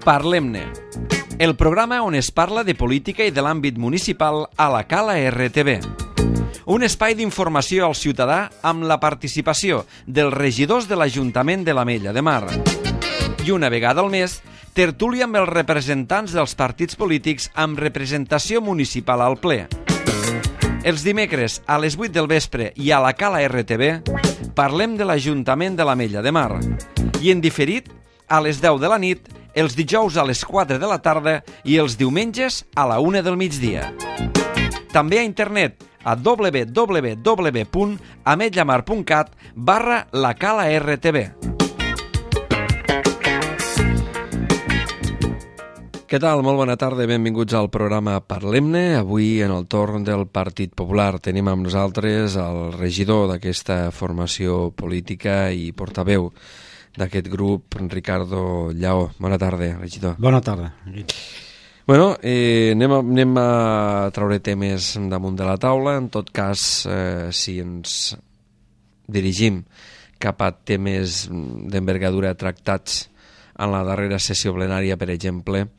Parlem-ne, el programa on es parla de política i de l'àmbit municipal a la Cala RTV. Un espai d'informació al ciutadà amb la participació dels regidors de l'Ajuntament de l'Ametlla de Mar. I una vegada al mes, tertúlia amb els representants dels partits polítics amb representació municipal al ple. Els dimecres a les 8 del vespre i a la Cala RTV parlem de l'Ajuntament de l'Ametlla de Mar. I en diferit, a les 10 de la nit, els dijous a les 4 de la tarda i els diumenges a la 1 del migdia. També a internet a www.ametllamar.cat/lacala-rtv. Què tal? Molt bona tarda, benvinguts al programa Parlem-ne. Avui, en el torn del Partit Popular, tenim amb nosaltres el regidor d'aquesta formació política i portaveu d'aquest grup, Ricardo Lleó. Bona tarda, regidor. Bona tarda. Bueno, anem a treure temes damunt de la taula. En tot cas, si ens dirigim cap a temes d'envergadura tractats en la darrera sessió plenària, per exemple,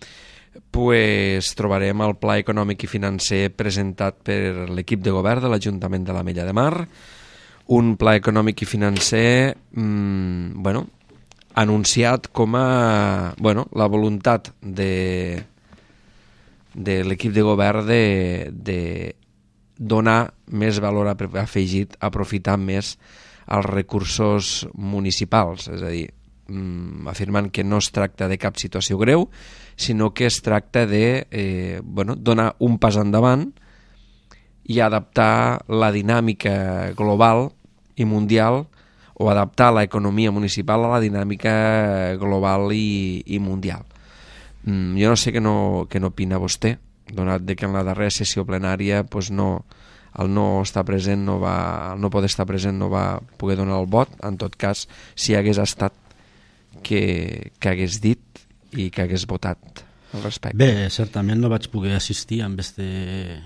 pues trobarem el Pla Econòmic i Financer presentat per l'equip de govern de l'Ajuntament de l'Ametlla de Mar. Un pla econòmic i financer, anunciat com a la voluntat de l'equip de govern de donar més valor afegit, aprofitar més els recursos municipals, és a dir, afirmant que no es tracta de cap situació greu, sinó que es tracta de donar un pas endavant i adaptar la dinàmica global i mundial, o adaptar l'economia municipal a la dinàmica global i mundial. Jo no sé què n'opina vostè, donat que en la darrera sessió plenària el no estar present el no poder estar present no va poder donar el vot. En tot cas, si hagués estat, que hagués dit i que hagués votat al respecte. Bé, certament no vaig poder assistir amb este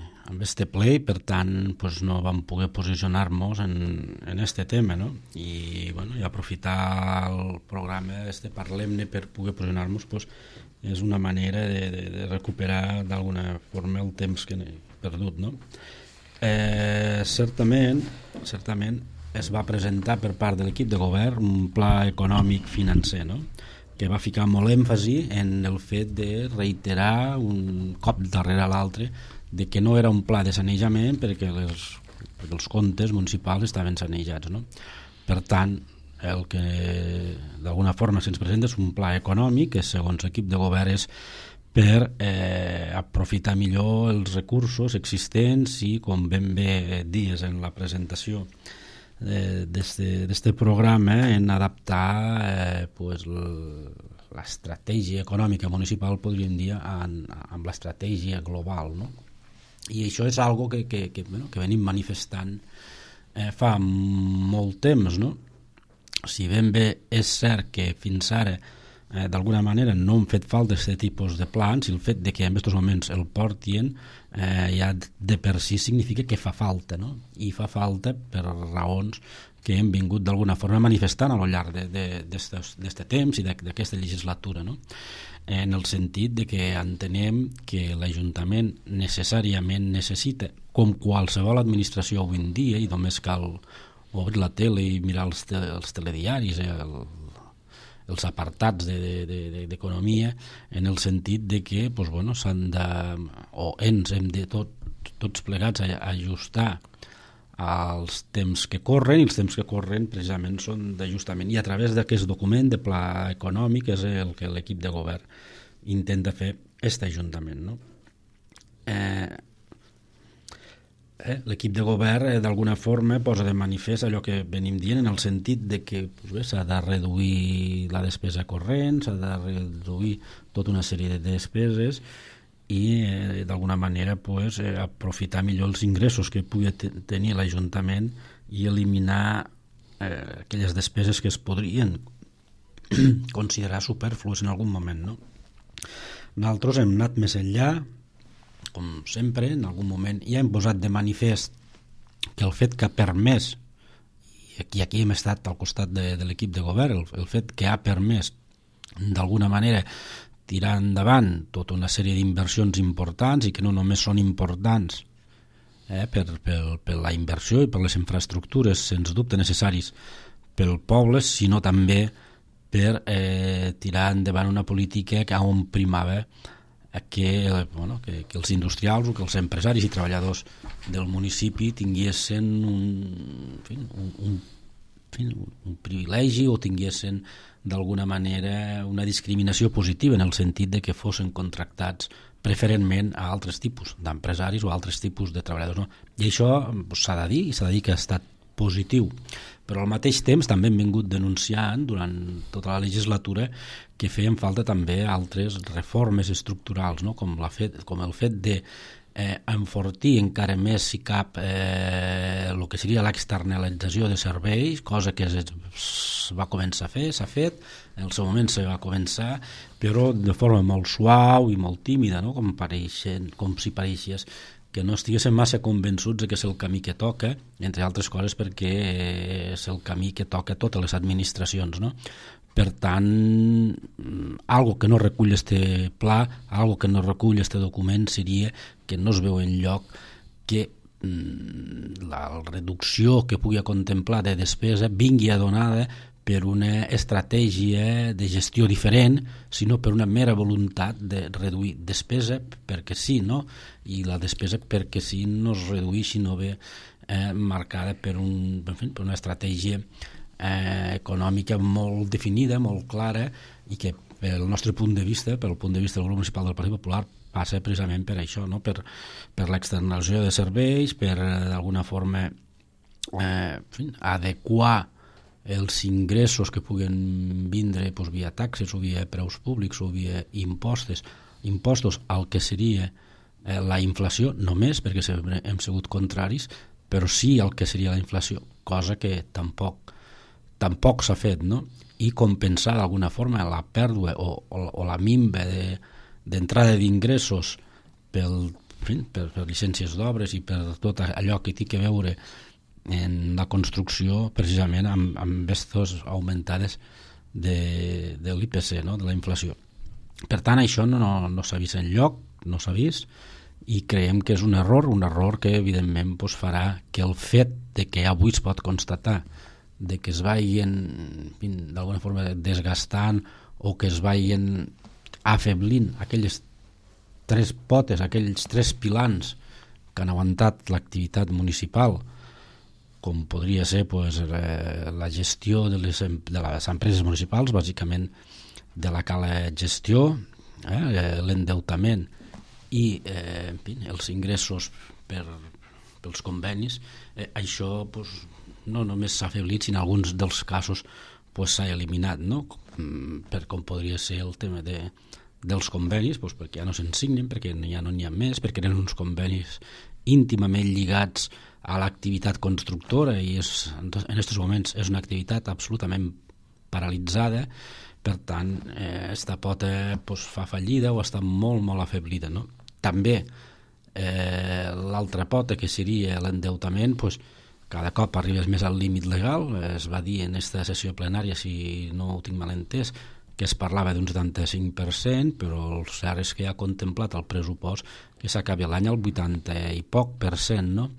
ple i per tant no vam poder posicionar-nos en este tema, no? I aprofitar el programa Parlem-ne per poder posicionar-nos és una manera de recuperar d'alguna forma el temps que he perdut, no? Certament es va presentar per part de l'equip de govern un pla econòmic financer, no?, que va ficar molt èmfasi en el fet de reiterar un cop darrere l'altre de que no era un pla de sanejament perquè els comptes municipals estaven sanejats, no? Per tant, el que d'alguna forma se'ns presenta és un pla econòmic que segons l'equip de govern és per aprofitar millor els recursos existents i, com ben bé dies en la presentació d'este programa, en adaptar l'estratègia econòmica municipal, podríem dir, amb l'estratègia global, no? I això és algo que venim manifestant fa molt temps, no? Si ben bé és cert que fins ara d'alguna manera no han fet falta aquest tipus de plans, i el fet de que en aquests moments el portin ja de per si significa que fa falta, no? I fa falta per raons que hem vingut d'alguna forma manifestant a lo llarg d'aquest temps i d'aquesta legislatura, no? En el sentit de que entenem que l'Ajuntament necessàriament necessita, com qualsevol administració avui en dia, i només cal obrir la tele i mirar els telediaris, els apartats d'economia, en el sentit de que s'han de, o ens hem de tots plegats ajustar als temps que corren, i els temps que corren precisament són d'ajustament, i a través d'aquest document de pla econòmic és el que l'equip de govern intenta fer aquest Ajuntament, no? L'equip de govern d'alguna forma posa de manifest allò que venim dient, en el sentit de que s'ha de reduir la despesa corrent, s'ha de reduir tota una sèrie de despeses i d'alguna manera aprofitar millor els ingressos que pugui tenir l'Ajuntament i eliminar aquelles despeses que es podrien considerar superflues en algun moment, no? Nosaltres hem anat més enllà, com sempre, en algun moment ja hem posat de manifest que el fet que ha permès, i aquí hem estat al costat de l'equip de govern, el fet que ha permès d'alguna manera tirar endavant tota una sèrie d'inversions importants i que no només són importants per la inversió i per les infraestructures, sens dubte necessaris pel poble, sinó també per tirar endavant una política on primava que els industrials o que els empresaris i treballadors del municipi tinguessin un privilegi o tinguessin d'alguna manera una discriminació positiva, en el sentit de que fossin contractats preferentment a altres tipus d'empresaris o altres tipus de treballadors, no? I això s'ha de dir, i s'ha de dir que ha estat positiu, però al mateix temps també hem vingut denunciant durant tota la legislatura que feien falta també altres reformes estructurals, no? com el fet de enfortir encara més, si cap, el que seria l'externalització de serveis, cosa que es va començar a fer, s'ha fet, en el seu moment se va començar, però de forma molt suau i molt tímida, no? com si pareixés que no estiguessin massa convençuts que és el camí que toca, entre altres coses perquè és el camí que toca a totes les administracions, no? Per tant, algo que no recull este pla, algo que no recull este document seria que no es veu enlloc que la reducció que pugui contemplar de despesa vingui adonada per una estratègia de gestió diferent, sinó per una mera voluntat de reduir despesa perquè sí, no? I la despesa perquè sí no es reduïi, no ve marcada per una estratègia econòmica molt definida, molt clara, i que pel nostre punt de vista, pel punt de vista del grup municipal del Partit Popular, passa precisament per això, no? per l'externalització de serveis, per d'alguna forma adequar els ingressos que puguen vindre via taxes o via preus públics o via impostos al que seria la inflació, només perquè hem sigut contraris, però sí al que seria la inflació, cosa que tampoc s'ha fet, no? I compensar d'alguna forma la pèrdua o la minva d'entrada d'ingressos per llicències d'obres i per tot allò que té a veure en la construcció, precisament amb aquestes augmentades de l'IPC, no? De la inflació. Per tant, això no s'ha vist enlloc, no s'ha vist, i creiem que és un error que evidentment farà que el fet de que avui es pot constatar de que es vagin d'alguna forma desgastant o que es vagin afeblint aquelles tres potes, aquells tres pilars que han aguantat l'activitat municipal, com podria ser la gestió de les empreses municipals, bàsicament de la cala gestió, l'endeutament i els ingressos pels convenis, això no només s'ha afeblit, sinó en alguns dels casos s'ha eliminat, no? Com podria ser el tema dels convenis, perquè ja no se'n signen, perquè ja no n'hi ha més, perquè eren uns convenis íntimament lligats a l'activitat constructora i en aquests moments és una activitat absolutament paralitzada. Per tant, esta pota fa fallida o està molt, molt afeblida, no? També l'altra pota, que seria l'endeutament, cada cop arribes més al límit legal. Es va dir en aquesta sessió plenària, si no ho tinc mal entès, que es parlava d'un 75%, però el cert és que ha contemplat el pressupost que s'acabi l'any al 80 i poc per cent, no?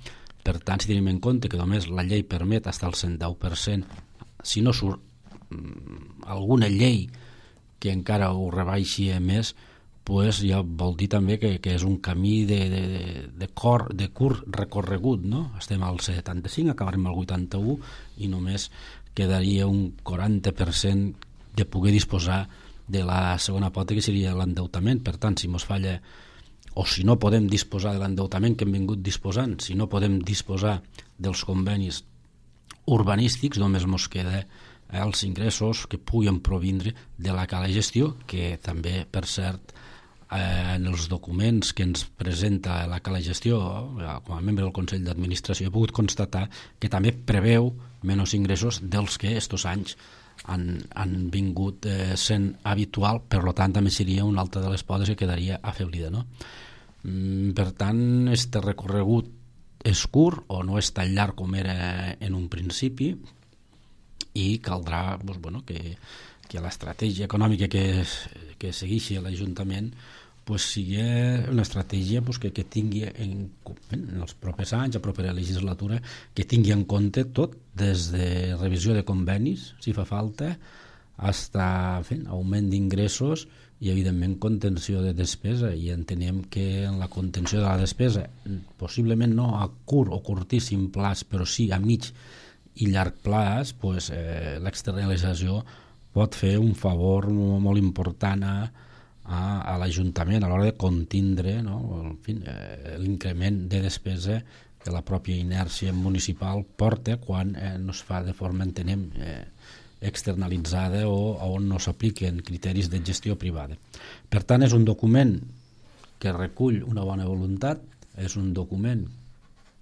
Per tant, si tenim en compte que només la llei permet fins al 110%, si no surt alguna llei que encara ho rebaixi més, ja vol dir també que és un camí de curt recorregut, no? Estem al 75, acabarem al 81 i només quedaria un 40% de poder disposar de la segona pota, que seria l'endeutament. Per tant, si ens falla o si no podem disposar de l'endeutament que hem vingut disposant, si no podem disposar dels convenis urbanístics, només ens queda els ingressos que puguin provindre de la cala gestió, que també, per cert, en els documents que ens presenta la cala gestió, com a membre del Consell d'Administració, he pogut constatar que també preveu menys ingressos dels que estos anys han vingut sent habitual. Per tant, també seria una altra de les potes que quedaria afeblida, no? Per tant, este recorregut és curt o no és tan llarg com era en un principi, i caldrà que l'estratègia econòmica que que segueixi l'Ajuntament sigui una estratègia que tingui en els propers anys, a propera legislatura, que tingui en compte tot, des de revisió de convenis, si fa falta, fins a augment d'ingressos i, evidentment, contenció de despesa. I entenem que en la contenció de la despesa, possiblement no a curt o curtíssim plaç, però sí a mig i llarg plaç, l'externalització pot fer un favor molt important a l'Ajuntament a l'hora de contindre l'increment de despesa que la pròpia inèrcia municipal porta quan no es fa de forma, entenem, externalitzada o on no s'apliquen criteris de gestió privada. Per tant, és un document que recull una bona voluntat, és un document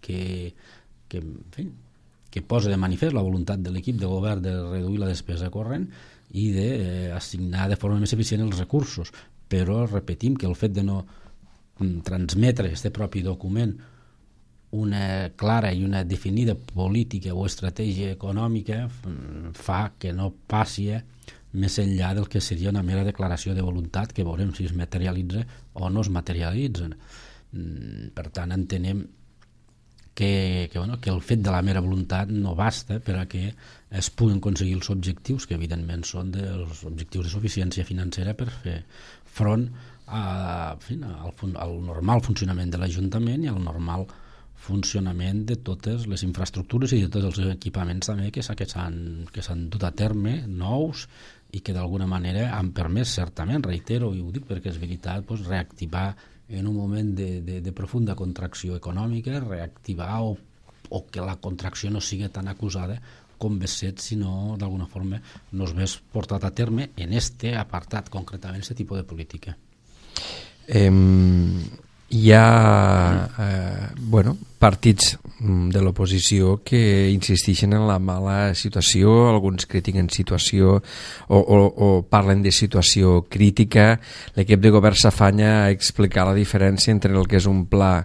que posa de manifest la voluntat de l'equip de govern de reduir la despesa corrent i d'assignar de forma més eficient els recursos, però repetim que el fet de no transmetre aquest propi document una clara i una definida política o estratègia econòmica fa que no passi més enllà del que seria una mera declaració de voluntat, que veurem si es materialitza o no es materialitza. Per tant, entenem que el fet de la mera voluntat no basta per a que es puguin aconseguir els objectius, que evidentment són els objectius de suficiència financera per fer front al normal funcionament de l'Ajuntament i al normal funcionament de totes les infraestructures i de tots els equipaments també que s'han dut a terme, nous, i que d'alguna manera han permès, certament, reitero, i ho dic perquè és veritat, reactivar en un moment de profunda contracció econòmica, reactivar o que la contracció no sigui tan acusada com ve set, sinó d'alguna forma no es vés portat a terme en este apartat, concretament, aquest tipus de política. Hi ha partits de l'oposició que insisteixen en la mala situació, alguns critiquen situació o parlen de situació crítica. L'equip de govern s'afanya a explicar la diferència entre el que és un pla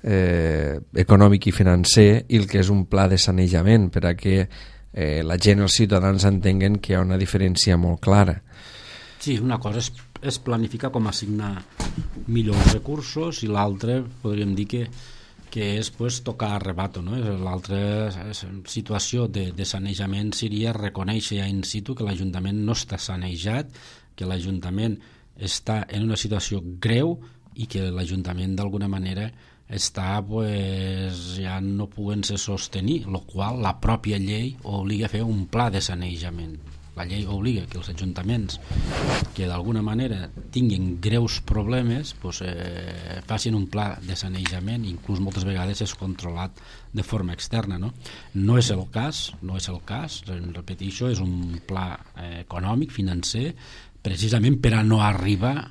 econòmic i financer i el que és un pla de sanejament, per a que la gent, els ciutadans, entenguen que hi ha una diferència molt clara. Sí, una cosa és planificar com assignar millors recursos i l'altra podríem dir que és tocar a rebato, no? L'altra situació de sanejament seria reconèixer in situ que l'Ajuntament no està sanejat, que l'Ajuntament està en una situació greu i que l'Ajuntament d'alguna manera està ja no podent-se sostenir, el qual la pròpia llei obliga a fer un pla de sanejament. La llei obliga que els ajuntaments que d'alguna manera tinguin greus problemes facin un pla de sanejament, inclús moltes vegades és controlat de forma externa, no? No és el cas, repeteixo, és un pla econòmic, financer, precisament per a no arribar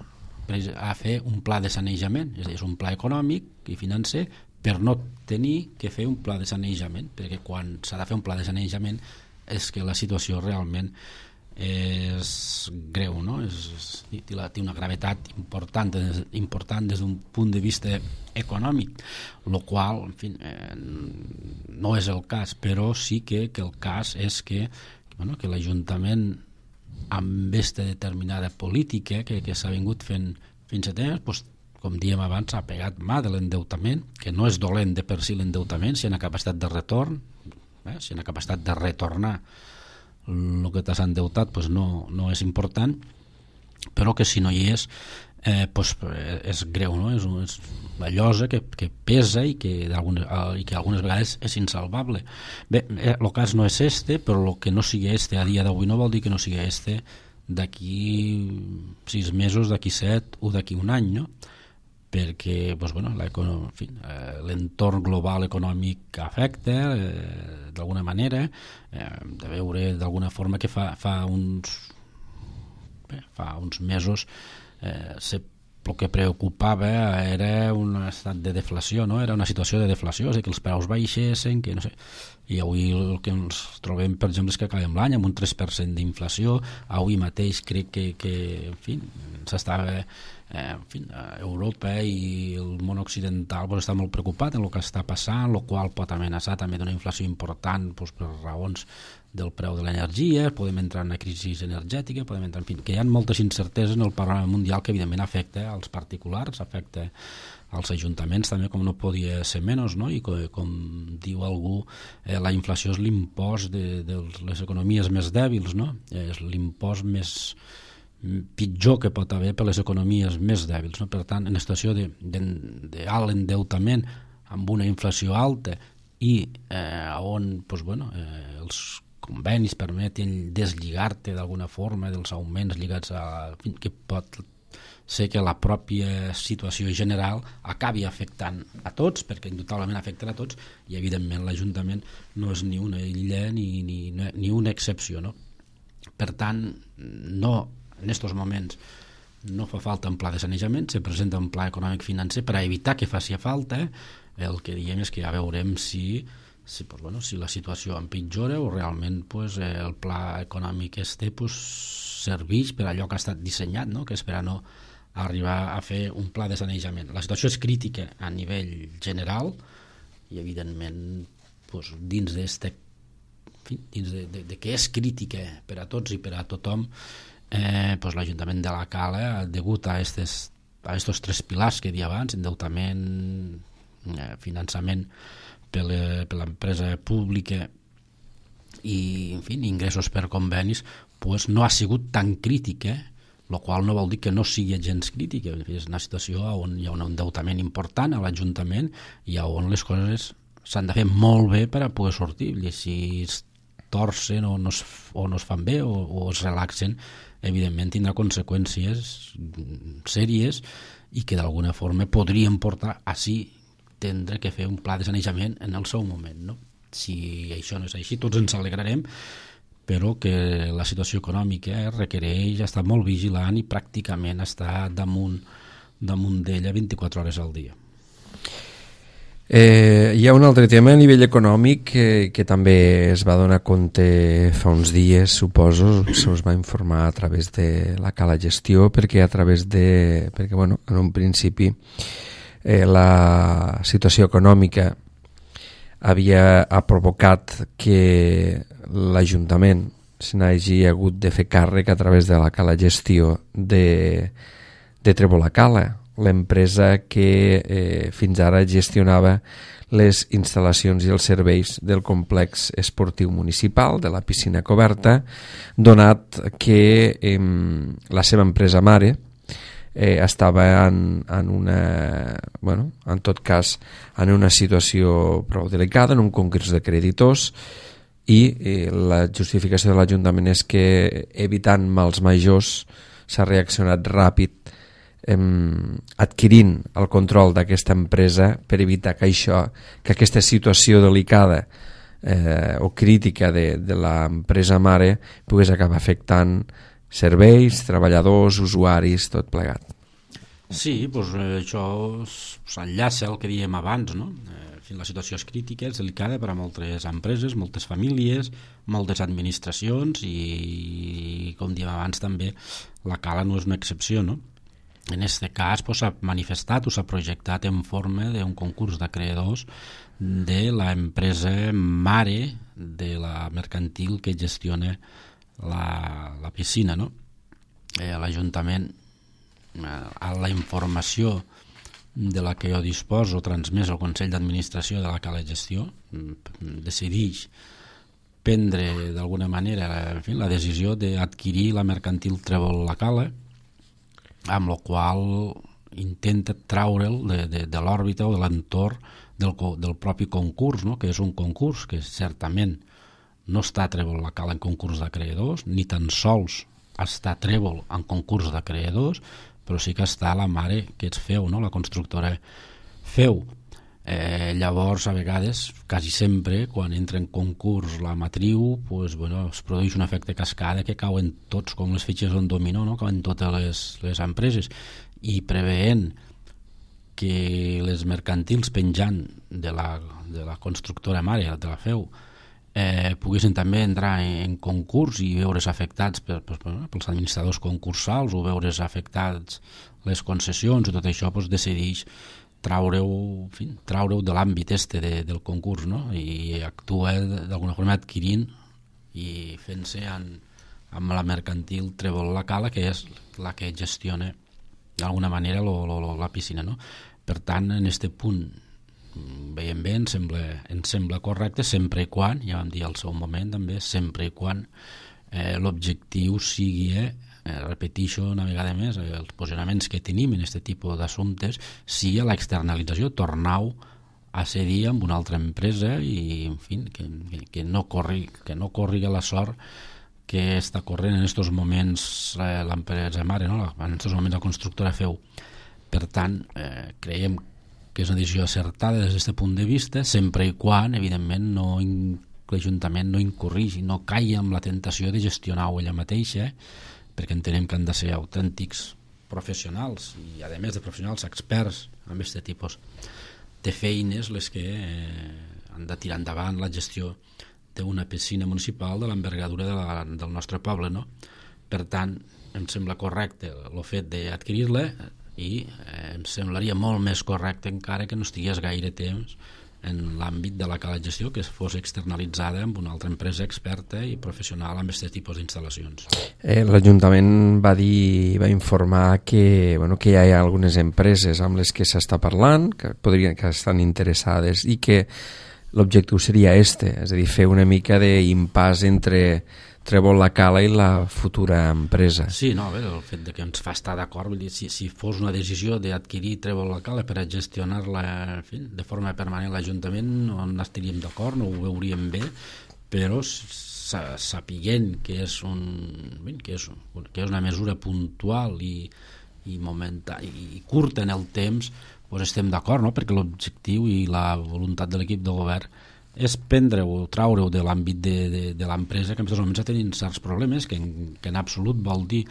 a fer un pla de sanejament. És un pla econòmic i financer per no tenir que fer un pla de sanejament, perquè quan s'ha de fer un pla de sanejament és que la situació realment és greu, no? Té una gravetat important des d'un punt de vista econòmic, el qual, en fi, no és el cas, però sí que el cas és que l'Ajuntament, amb aquesta determinada política que s'ha vingut fent fins a temps, com diem abans, s'ha pegat mà de l'endeutament, que no és dolent de per si l'endeutament, si hi ha capacitat de retorn, si hi ha capacitat de retornar el que t'has endeutat, no és important, però que si no hi és és greu, no? És la llosa que pesa i que algunes vegades és insalvable. Bé, el cas no és este, però el que no sigui este a dia d'avui no vol dir que no sigui este d'aquí 6 mesos, d'aquí 7 o d'aquí un any, no? Perquè l'entorn global econòmic afecta d'alguna manera, de veure d'alguna forma que fa uns mesos el que preocupava era un estat de deflació, no? Era una situació de deflació, és que els preus baixessin, que no sé. I avui el que ens trobem, per exemple, és que acabem l'any amb un 3% d'inflació. Avui mateix crec que en fi, s'estava en fi, Europa i el món occidental està molt preocupat en el que està passant, el qual pot amenaçar també d'una inflació important per raons del preu de l'energia, podem entrar en una crisi energètica, podem entrar, en fi, que hi ha moltes incerteses en el panorama mundial que evidentment afecta als particulars, afecta als ajuntaments també, com no podia ser menys, no? I com diu algú, la inflació és l'impost de les economies més dèbils, no? És l'impost més pitjor que pot haver per les economies més dèbils, no? Per tant, en una situació d'alt endeutament amb una inflació alta i on els convenis permeten deslligar-te d'alguna forma dels augments lligats a que pot ser que la pròpia situació general acabi afectant a tots, perquè indubtablement afectarà a tots, i evidentment l'Ajuntament no és ni una illa ni una excepció, no? Per tant, no, en aquests moments no fa falta un pla de sanejament, se presenta un pla econòmic financer per a evitar que faci falta. El que diem és que ja veurem si la situació empitjora o realment el pla econòmic serveix per allò que ha estat dissenyat, no? Que és per a no arribar a fer un pla de sanejament. La situació és crítica a nivell general i evidentment dins de que és crítica per a tots i per a tothom, l'Ajuntament de la Cala, degut a estos tres pilars que he dit abans, endeutament, finançament per l'empresa pública i, en fi, ingressos per convenis, no ha sigut tan crítica, el qual no vol dir que no sigui gens crítica. És una situació on hi ha un endeutament important a l'Ajuntament i on les coses s'han de fer molt bé per a poder sortir, i si es torcen o no es fan bé o es relaxen, evidentment tindrà conseqüències sèries i que d'alguna forma podrien portar a tindre que fer un pla de sanejament en el seu moment, no? Si això no és així, tots ens alegrarem, però que la situació econòmica requereix estar molt vigilant i pràcticament estar damunt d'ella 24 hores al dia. Hi ha un altre tema a nivell econòmic que també es va donar compte fa uns dies, suposo, se us va informar a través de la Cala Gestió, perquè en un principi la situació econòmica havia provocat que l'Ajuntament se n'hagi hagut de fer càrrec a través de la Cala Gestió de Trebolacala, l'empresa que fins ara gestionava les instal·lacions i els serveis del complex esportiu municipal, de la piscina coberta, donat que la seva empresa mare estava en una situació prou delicada, en un concurs de creditors, i la justificació de l'Ajuntament és que, evitant mals majors, s'ha reaccionat ràpid adquirint el control d'aquesta empresa per evitar que aquesta situació delicada o crítica de l'empresa mare pogués acabar afectant serveis, treballadors, usuaris, tot plegat. Sí, això s'enllaça al que dèiem abans, no? La situació és crítica, és delicada per a moltes empreses, moltes famílies, moltes administracions i, com dèiem abans també, la Cala no és una excepció, no? En aquest cas s'ha manifestat o s'ha projectat en forma d'un concurs d'acreedors de l'empresa mare de la mercantil que gestiona la piscina, no? L'Ajuntament, a la informació de la que jo disposo transmès al Consell d'Administració de la Cala Gestió, decideix prendre d'alguna manera la decisió d'adquirir la mercantil Trèvol la Cala, amb la qual intenta traure'l de l'òrbita o de l'entorn del propi concurs, no? Que és un concurs que certament no està Trèvol la Cala en concurs d'acreedors, ni tan sols està Trèvol en concurs d'acreedors, però sí que està la mare que ets Feu, no? La constructora Feu. Llavors, a vegades, quasi sempre, quan entra en concurs la matriu, es produeix un efecte cascada que cauen tots, com les fitxes d'un dominó, no? Cauen totes les empreses, i preveient que les mercantils penjant de la constructora mare, de la Feu, poguessin també entrar en concurs i veure's afectats pels administradors concursals o veure's afectats les concessions i tot això, doncs decideix traure-ho de l'àmbit del concurs, no? I actua d'alguna forma adquirint i fent-se amb la mercantil Trèvol la Cala, que és la que gestiona d'alguna manera la piscina, no? Per tant, en aquest punt veiem bé, ens sembla correcte, sempre i quan, ja vam dir al seu moment també, sempre i quan l'objectiu sigui, repeteixo una vegada més, els posicionaments que tenim en aquest tipus d'assumptes sigui l'externalització, tornar-ho a cedir amb una altra empresa i, en fi, que no corri la sort que està corrent en aquests moments l'empresa mare, no? En aquests moments la constructora Feu. Per tant, creiem que és una decisió acertada des d'aquest punt de vista, sempre i quan, evidentment, l'Ajuntament no incorrigi, no caigui amb la tentació de gestionar-ho ella mateixa, perquè entenem que han de ser autèntics professionals i, a més de professionals, experts en aquest tipus de feines les que han de tirar endavant la gestió d'una piscina municipal de l'envergadura del nostre poble, no? Per tant, em sembla correcte el fet d'adquirir-la i em semblaria molt més correcte encara que no estigués gaire temps en l'àmbit de la cala de gestió, que fos externalitzada amb una altra empresa experta i professional amb aquest tipus d'instal·lacions. L'Ajuntament va informar que hi ha algunes empreses amb les que s'està parlant, que estan interessades i que l'objectiu seria és a dir, fer una mica d'impàs entre Trèvol la Cala i la futura empresa. Sí, no, el fet de que ens fa estar d'acord, vull dir, si fos una decisió d'adquirir Trèvol la Cala per a gestionar-la de forma permanent l'Ajuntament, no estaríem d'acord, no ho veuríem bé, però sapiguent que és una mesura puntual i curta en el temps, doncs estem d'acord, no? Perquè l'objectiu i la voluntat de l'equip de govern és prendre-ho o traure-ho de l'àmbit de l'empresa, que en aquests moments ha tenint certs problemes, que en absolut vol dir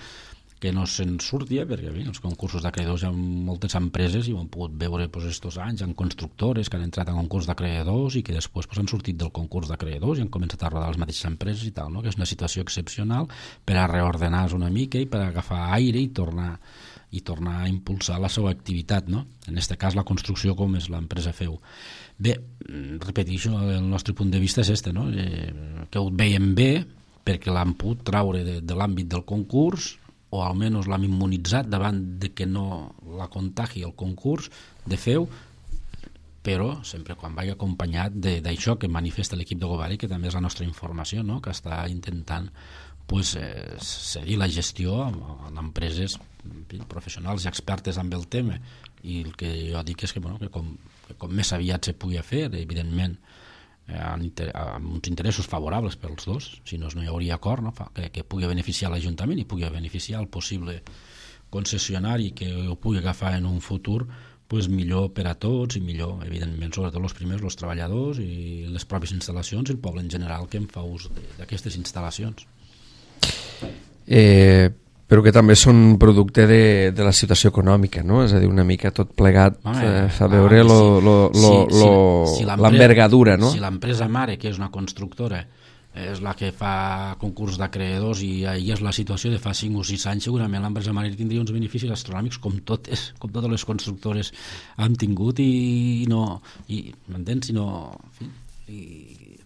que no se'n surti, perquè els concursos d'acreedors hi ha moltes empreses i ho han pogut veure aquests anys, hi ha constructores que han entrat en concurs d'acreedors i que després han sortit del concurs d'acreedors i han començat a rodar les mateixes empreses i tal, no? Que és una situació excepcional per a reordenar-se una mica i per a agafar aire i tornar a impulsar la seva activitat, no? En aquest cas la construcció, com és l'empresa Feu. Bé, repeteixo, el nostre punt de vista és no? Que ho veiem bé perquè l'han pogut traure de l'àmbit del concurs, o almenys l'hem immunitzat davant de que no la contagi el concurs de Feu, però sempre quan vagi acompanyat d'això que manifesta l'equip de govern i que també és la nostra informació, no? Que està intentant cedir la gestió a empreses professionals i expertes amb el tema, i el que jo dic és que com més aviat se pugui fer, evidentment amb uns interessos favorables pels dos, si no hi hauria acord, no? Que pugui beneficiar l'Ajuntament i pugui beneficiar el possible concessionari que ho pugui agafar en un futur, doncs millor per a tots i millor, evidentment, sobretot els primers, els treballadors i les pròpies instal·lacions i el poble en general que en fa ús d'aquestes instal·lacions. Però que també són producte de la situació econòmica, no? És a dir, una mica tot plegat fa veure l'envergadura, no? Si l'empresa mare, que és una constructora, és la que fa concurs d'acreedors i ahir és la situació de fa 5 o 6 anys, segurament l'empresa mare tindria uns beneficis astronòmics com totes les constructores han tingut m'entens? I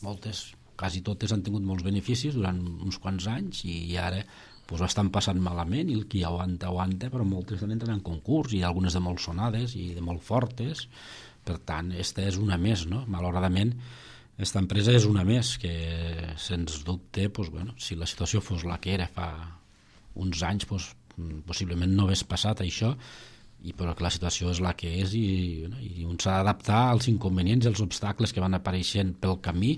moltes, quasi totes han tingut molts beneficis durant uns quants anys i ara ho estan passant malament i el qui aguanta, però moltes entren en concurs i algunes de molt sonades i de molt fortes. Per tant, aquesta és una més, no? Malauradament, aquesta empresa és una més que, sens dubte, si la situació fos la que era fa uns anys, possiblement no hagués passat això, però que la situació és la que és i un s'ha d'adaptar als inconvenients i als obstacles que van apareixent pel camí,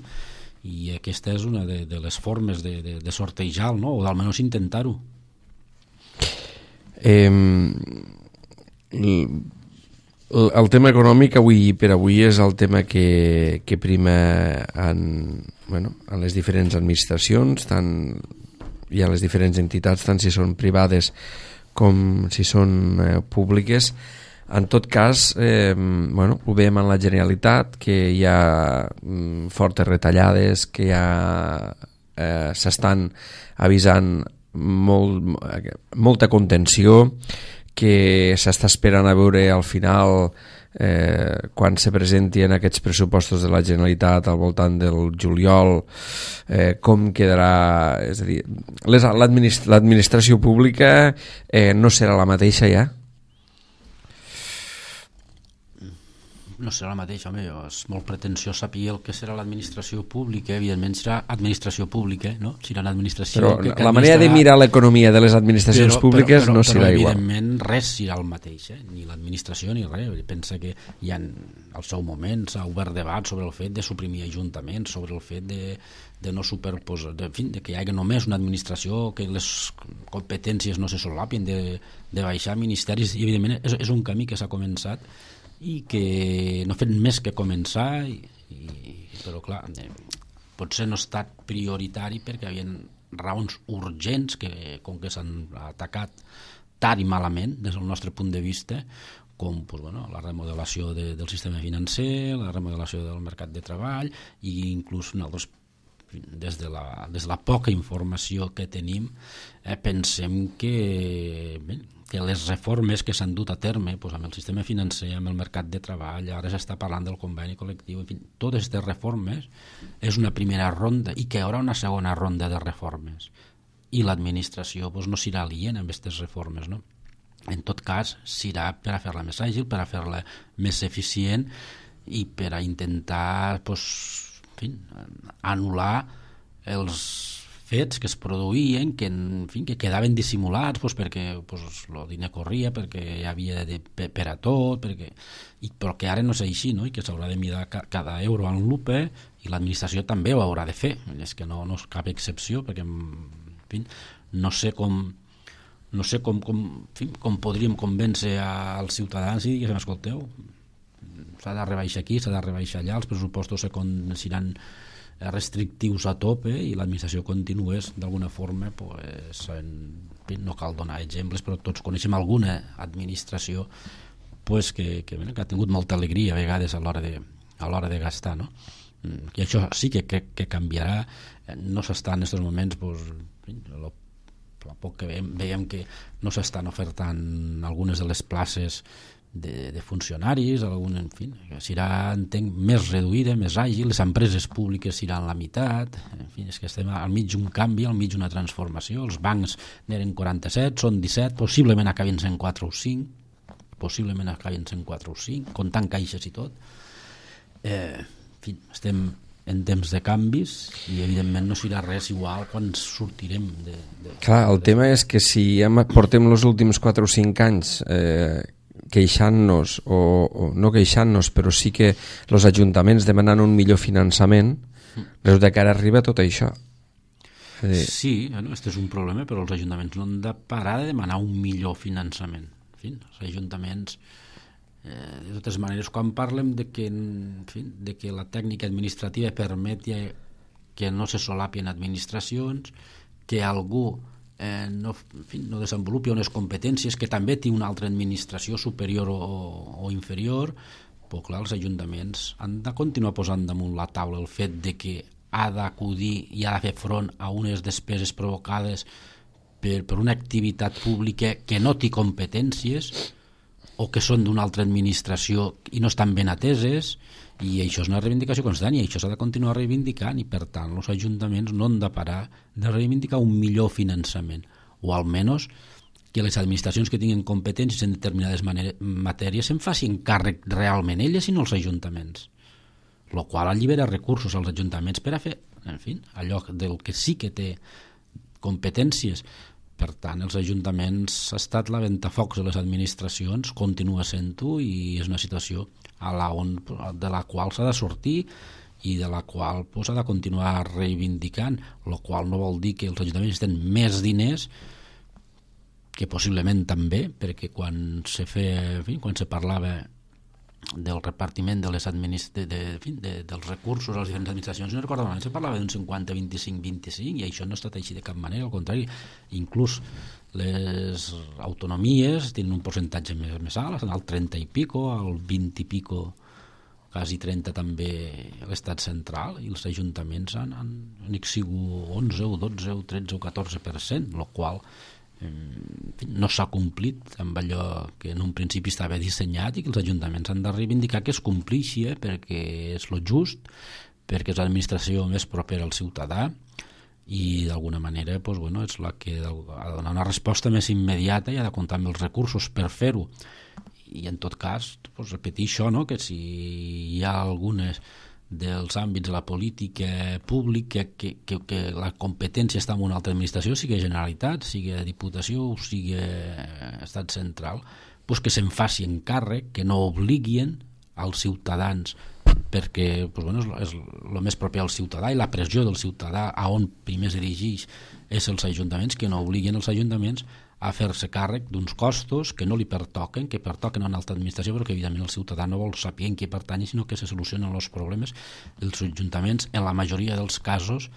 i aquesta és una de les formes de sortejar, no? O d'almenys intentar-ho. El tema econòmic per avui és el tema que prima en les diferents administracions, tant hi ha les diferents entitats, tant si són privades com si són públiques. En tot cas, ho veiem en la Generalitat, que hi ha fortes retallades, que s'estan avisant molta contenció, que s'està esperant a veure al final quan se presentien aquests pressupostos de la Generalitat al voltant del juliol, com quedarà, és a dir, l'administració pública no serà la mateixa ja? No serà la mateixa, home, és molt pretensiós saber el que serà l'administració pública, evidentment serà administració pública, no? Serà l'administració... Però la manera de mirar l'economia de les administracions públiques no serà igual. Però evidentment res serà el mateix, ni l'administració ni res. Pensa que ja al seu moment s'ha obert debat sobre el fet de suprimir ajuntaments, sobre el fet de no superposar, en fi, de que hi hagi només una administració, que les competències no se solapin, de baixar ministeris, i evidentment és un camí que s'ha començat i que no ha fet més que començar, però clar, potser no ha estat prioritari perquè hi havia raons urgents que, com que s'han atacat tard i malament des del nostre punt de vista, com pues, bueno, la remodelació del sistema financer, la remodelació del mercat de treball, i inclús nosaltres, des de la poca informació que tenim, pensem que les reformes que s'han dut a terme pues, amb el sistema financer, amb el mercat de treball, ara s'està parlant del conveni col·lectiu, en fi, totes aquestes reformes és una primera ronda i que hi haurà una segona ronda de reformes, i l'administració pues, no serà aliena amb aquestes reformes, no? En tot cas serà per a fer-la més àgil, per a fer-la més eficient i per a intentar pues, en fi, anul·lar els fets que es produïen, que, en fi, que quedaven dissimulats pues, perquè pues, el diner corria, perquè hi havia per a tot, però que ara no és així, no? I que s'haurà de mirar cada euro en lupa, i l'administració també ho haurà de fer, és que no és cap excepció, perquè en fi, no sé com podríem convèncer als ciutadans i diguéssim, escolteu, s'ha de rebaixar aquí, s'ha de rebaixar allà, els pressupostos seran restrictius a tope i l'administració continués d'alguna forma pues, no cal donar exemples, però tots coneixem alguna administració pues, que ha tingut molta alegria a vegades a l'hora de gastar, no? I això sí que canviarà. No s'està en aquests moments pues, a poc que veiem que no s'estan ofertant algunes de les places de funcionaris, en fi, serà, entenc, més reduïda, més àgil, les empreses públiques seran la meitat, en fi, és que estem al mig d'un canvi, al mig d'una transformació, els bancs n'eren 47, són 17, possiblement acabin sent 4 o 5, comptant caixes i tot. En fi, estem en temps de canvis i evidentment no serà res igual quan sortirem Clar, el tema és que si portem els últims 4 o 5 anys queixant-nos, o no queixant-nos, però sí que els ajuntaments demanant un millor finançament, resulta que ara arriba tot això. Sí, aquest és un problema, però els ajuntaments no han de parar de demanar un millor finançament. En fi, els ajuntaments, de totes maneres, quan parlem de que la tècnica administrativa permeti que no se solapien administracions, que algú no desenvolupi unes competències que també té una altra administració superior o inferior, però clar, els ajuntaments han de continuar posant damunt la taula el fet de que ha d'acudir i ha de fer front a unes despeses provocades per una activitat pública que no té competències o que són d'una altra administració i no estan ben ateses, i això és una reivindicació constant i això s'ha de continuar reivindicant, i per tant els ajuntaments no han de parar de reivindicar un millor finançament, o almenys que les administracions que tinguin competències en determinades matèries se'n facin càrrec realment elles i no els ajuntaments, el qual allibera recursos als ajuntaments per a fer, en fi, allò del que sí que té competències. Per tant, els ajuntaments ha estat la ventafocs de les administracions, continua sent-ho, i és una situació de la qual s'ha de sortir i de la qual s'ha de continuar reivindicant, el qual no vol dir que els ajuntaments tenen més diners, que possiblement també, perquè quan se parlava del repartiment dels recursos a les diferents administracions, no recordo malament, se parlava d'un 50-25-25, i això no ha estat així de cap manera, al contrari, inclús les autonomies tenen un percentatge més alt, estan al 30 i pico, al 20 i pico, quasi 30 també l'estat central, i els ajuntaments han sigut 11 o 12 o 13 o 14%, el qual no s'ha complit amb allò que en un principi estava dissenyat i que els ajuntaments han de reivindicar que es complixi, perquè és lo just, perquè és l'administració més propera al ciutadà i d'alguna manera és la que ha de donar una resposta més immediata i ha de comptar amb els recursos per fer-ho. I en tot cas repetir això, no? Que si hi ha algunes dels àmbits de la política pública que la competència està en una altra administració, sigui Generalitat, sigui Diputació o sigui Estat Central, que se'n faci encàrrec, que no obliguin als ciutadans, perquè és el més propi al ciutadà i la pressió del ciutadà a on primer es dirigeix és els ajuntaments, que no obliguin els ajuntaments a fer-se càrrec d'uns costos que no li pertoquen, que pertoquen a una altra administració, però que evidentment el ciutadà no vol saber en què pertany, sinó que se solucionen els problemes. Els ajuntaments, en la majoria dels casos,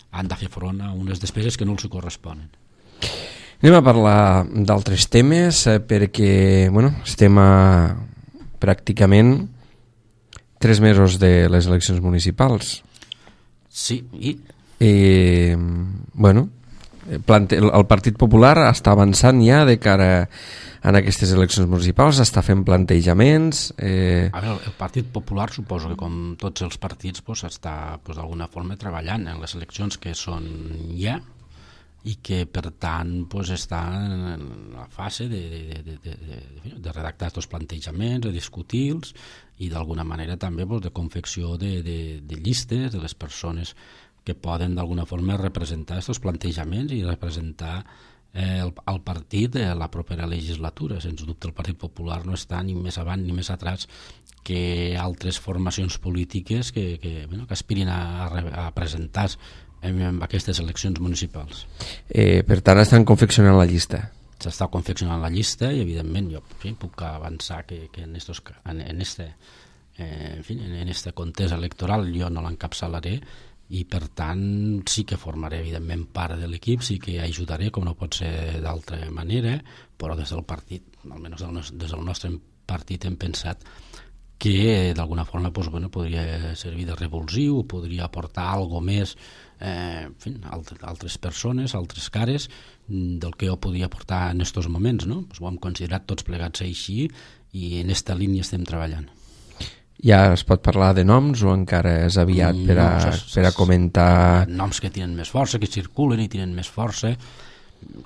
han de fer front a unes despeses que no els corresponen. Anem a parlar d'altres temes, perquè estem a pràcticament 3 mesos de les eleccions municipals. Sí, i? El Partit Popular està avançant ja de cara a aquestes eleccions municipals, està fent plantejaments. El Partit Popular suposo que com tots els partits està d'alguna forma treballant en les eleccions que són ja i que per tant està en la fase de redactar aquests plantejaments, de discutir-los i d'alguna manera també de confecció de llistes de les persones que poden d'alguna forma representar aquests plantejaments i representar el partit de la propera legislatura. Sens dubte el Partit Popular no està ni més avant ni més atrás que altres formacions polítiques que aspirin a presentar en aquestes eleccions municipals. Per tant, estan confeccionant la llista. S'està confeccionant la llista i evidentment jo puc avançar que en este contest electoral jo no l'encapçalaré i per tant sí que formaré evidentment part de l'equip, sí que ajudaré com no pot ser d'altra manera, però des del partit, almenys des del nostre partit hem pensat que d'alguna forma podria servir de revulsiu, podria aportar alguna més altres persones, altres cares del que jo podia aportar en aquests moments, no? Ho hem considerat tots plegats així i en aquesta línia estem treballant. Ja es pot parlar de noms o encara és aviat per a comentar? Noms que tenen més força, que circulen i tenen més força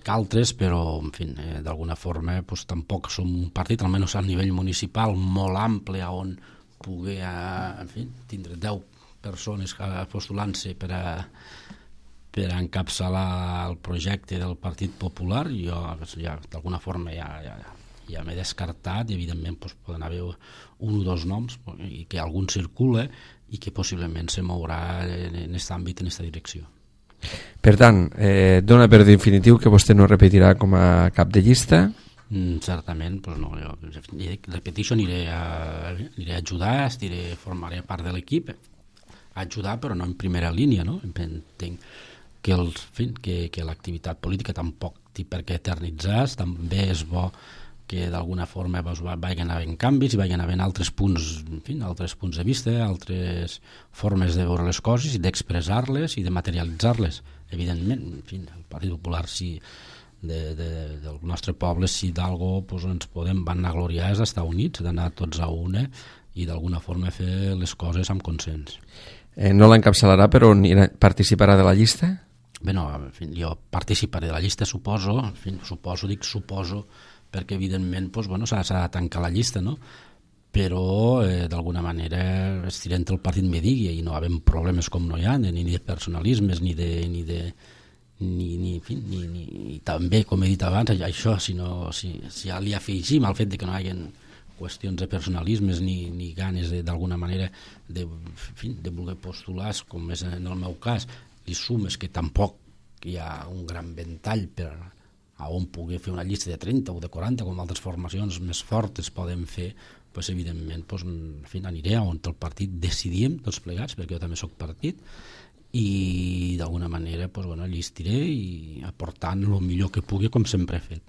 que altres, però en fi, d'alguna forma tampoc som un partit, almenys a nivell municipal, molt ample on pugui tindre 10 persones postulant-se per a encapçalar el projecte del Partit Popular. Jo d'alguna forma ja m'he descartat i evidentment poden haver 1 o 2 noms i que algun circula i que possiblement se mourà en aquest àmbit, en aquesta direcció. Per tant, dona per definitiu que vostè no repetirà com a cap de llista? Certament, no, jo repeteixo, aniré a ajudar, formaré part de l'equip, a ajudar però no en primera línia, no? Entenc que l'activitat política tampoc té per què eternitzar, també és bo que d'alguna forma vagin havent canvis i vagin havent altres punts de vista, altres formes de veure les coses i d'expressar-les i de materialitzar-les. Evidentment, el Partit Popular del nostre poble, si d'algò ens podem vanagloriar és d'estar units, d'anar tots a una i d'alguna forma fer les coses amb consens. No l'encapçalarà, però participarà de la llista? Bé, no, jo participaré de la llista, suposo, perquè evidentment s'ha de tancar la llista, no? Però d'alguna manera estirem el partit me digui i no hi ha problemes com no hi ha, ni de personalismes ni també, com he dit abans, això, si ja li afegim el fet que no hi hagi qüestions de personalismes ni ganes d'alguna manera de voler postular, com és en el meu cas, li sumes que tampoc hi ha un gran ventall per a on pugui fer una llista de 30 o de 40, com altres formacions més fortes poden fer, evidentment aniré on el partit decidim tots plegats, perquè jo també soc partit, i d'alguna manera llistiré i aportant el millor que pugui, com sempre he fet.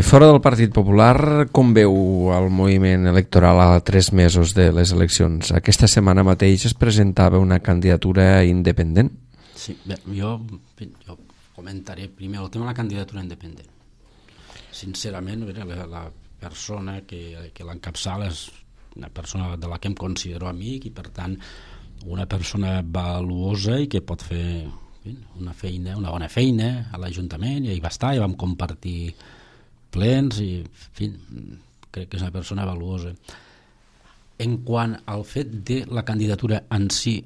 Fora del Partit Popular, com veu el moviment electoral a 3 mesos de les eleccions? Aquesta setmana mateix es presentava una candidatura independent. Sí, bé, jo comentaré primer el tema de la candidatura independent. Sincerament, la persona que l'encapçala és una persona de la que em considero amic i, per tant, una persona valuosa i que pot fer una bona feina a l'Ajuntament, i ahí va estar, i vam compartir plens, i en fi, crec que és una persona valuosa. En quant al fet de la candidatura en si,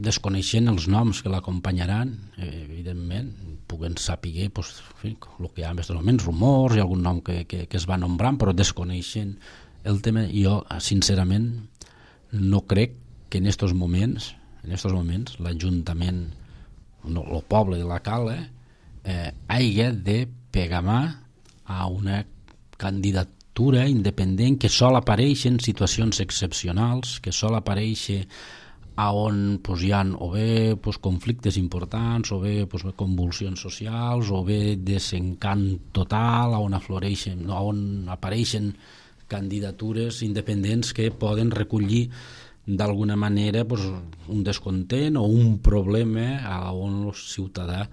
desconeixent els noms que l'acompanyaran, evidentment, puguen saber el que hi ha en aquests moments, rumors i algun nom que es va nombrant, però desconeixent el tema, jo sincerament no crec que en aquests moments l'Ajuntament, el poble de la Cala, hagi de pegar mà a una candidatura independent que sol apareix en situacions excepcionals, que sol aparèixer on hi ha o bé conflictes importants, o bé convulsions socials, o bé desencant total, on apareixen candidatures independents que poden recollir d'alguna manera un descontent o un problema on el ciutadà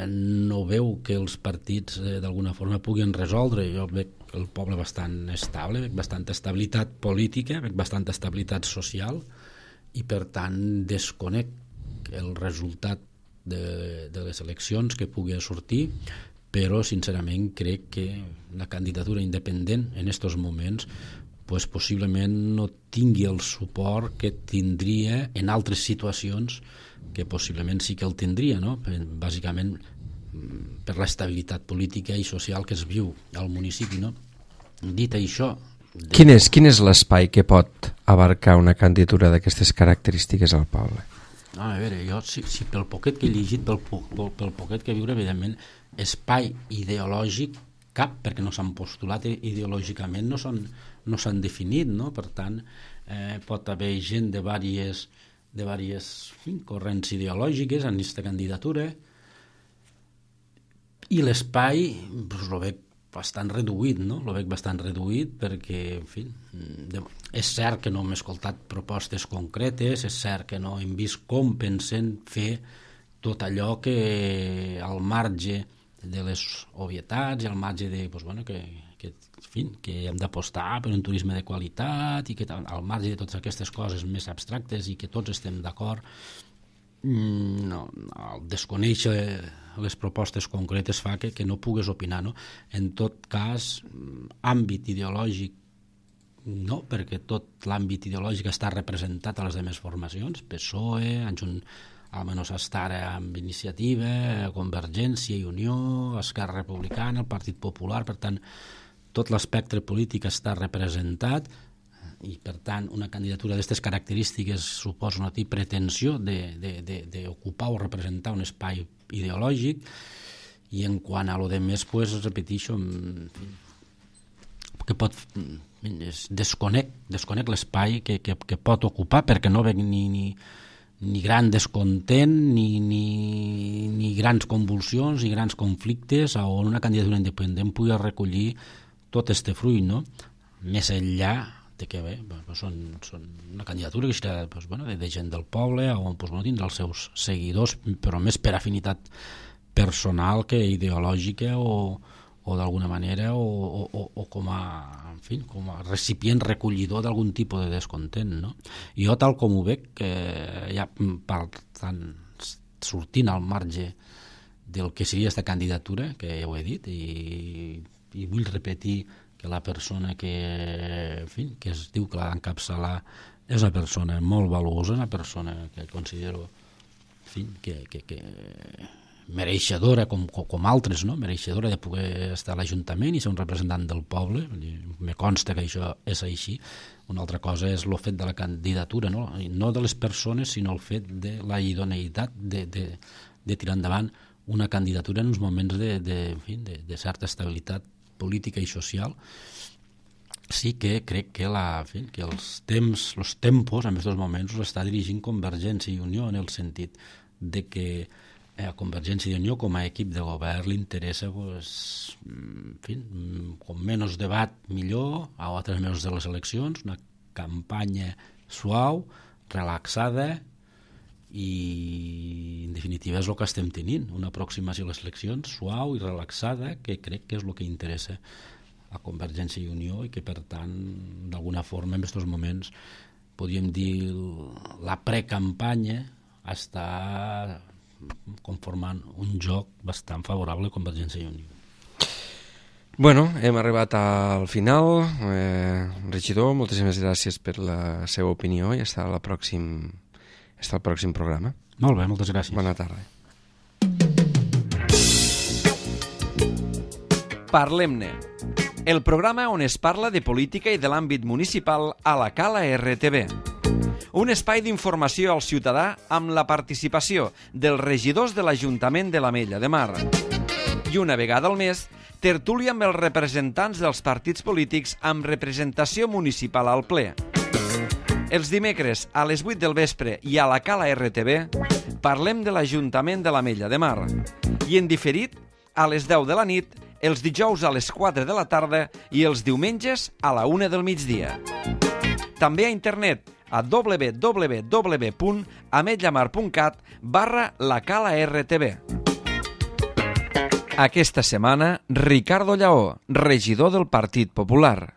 no veu que els partits d'alguna forma puguin resoldre. Jo veig el poble bastant estable, veig bastanta estabilitat política, veig bastanta estabilitat social, i per tant desconec el resultat de les eleccions que pugui sortir, però sincerament crec que la candidatura independent en aquests moments possiblement no tingui el suport que tindria en altres situacions, que possiblement sí que el tindria, no? Bàsicament per l'estabilitat política i social que es viu al municipi, no? Dit això... Quin és l'espai que pot abarcar una candidatura d'aquestes característiques al poble? A veure, jo si pel poquet que he llegit, pel poquet que viure, evidentment, espai ideològic cap, perquè no s'han postulat ideològicament, no s'han definit, no? Per tant, pot haver gent de diverses corrents ideològiques en aquesta candidatura, i l'espai el veig bastant reduït, no? Lo veig bastant reduït perquè, en fi, és cert que no hem escoltat propostes concretes, és cert que no hem vist com pensen fer tot allò que al marge de les obvietats i al marge de, que hem d'apostar per un turisme de qualitat i que al marge de totes aquestes coses més abstractes i que tots estem d'acord, desconèixer les propostes concretes fa que no pugues opinar, no? En tot cas, àmbit ideològic no, perquè tot l'àmbit ideològic està representat a les demés formacions, PSOE, almenys està ara amb Iniciativa, Convergència i Unió, Esquerra Republicana, el Partit Popular, per tant, tot l'espectre polític està representat, i per tant una candidatura d'aquestes característiques suposa una pretensió d'ocupar o representar un espai ideològic, i en quant a lo de més, repeteixo, que desconec l'espai que pot ocupar, perquè no veig ni gran descontent ni grans convulsions ni grans conflictes on una candidatura independent pugui recollir tot este fruit, no? Més enllà de que són una candidatura que serà de gent del poble on tindrà els seus seguidors, però més per afinitat personal que ideològica o d'alguna manera o com a recipient recollidor d'algun tipus de descontent, no? Jo, tal com ho veig, ja sortint al marge del que seria aquesta candidatura, que ja ho he dit, i vull repetir que la persona que es diu que l'ha d'encapçalar és una persona molt valuosa, una persona que considero que mereixedora com altres, no? Mereixedora de poder estar a l'Ajuntament i ser un representant del poble. Me consta que això és així. Una altra cosa és el fet de la candidatura, no de les persones, sinó el fet de la idoneïtat de tirar endavant una candidatura en uns moments de certa estabilitat política i social. Sí que crec que els tempos en aquests moments els està dirigint Convergència i Unió, en el sentit de que a Convergència i Unió com a equip de govern li interessa com menys debat millor, a altres mesos de les eleccions, una campanya suau, relaxada i en definitiva és el que estem tenint, una aproximació a les eleccions suau i relaxada, que crec que és el que interessa a Convergència i Unió i que per tant d'alguna forma en aquests moments podríem dir la precampanya està conformant un joc bastant favorable a Convergència i Unió. Bueno, hem arribat al final. Regidor, moltíssimes gràcies per la seva opinió i fins al pròxim programa. Molt bé, moltes gràcies. Bona tarda. Parlem-ne, el programa on es parla de política i de l'àmbit municipal a la Cala RTV. Un espai d'informació al ciutadà amb la participació dels regidors de l'Ajuntament de l'Ametlla de Mar. I una vegada al mes, tertúlia amb els representants dels partits polítics amb representació municipal al ple. Els dimecres a les 8 del vespre i a la Cala RTV parlem de l'Ajuntament de l'Ametlla de Mar i en diferit a les 10 de la nit, els dijous a les 4 de la tarda i els diumenges a la 1 del migdia. També a internet a www.ametllamar.cat/lacala-rtv. Aquesta setmana, Ricardo Lleó, regidor del Partit Popular.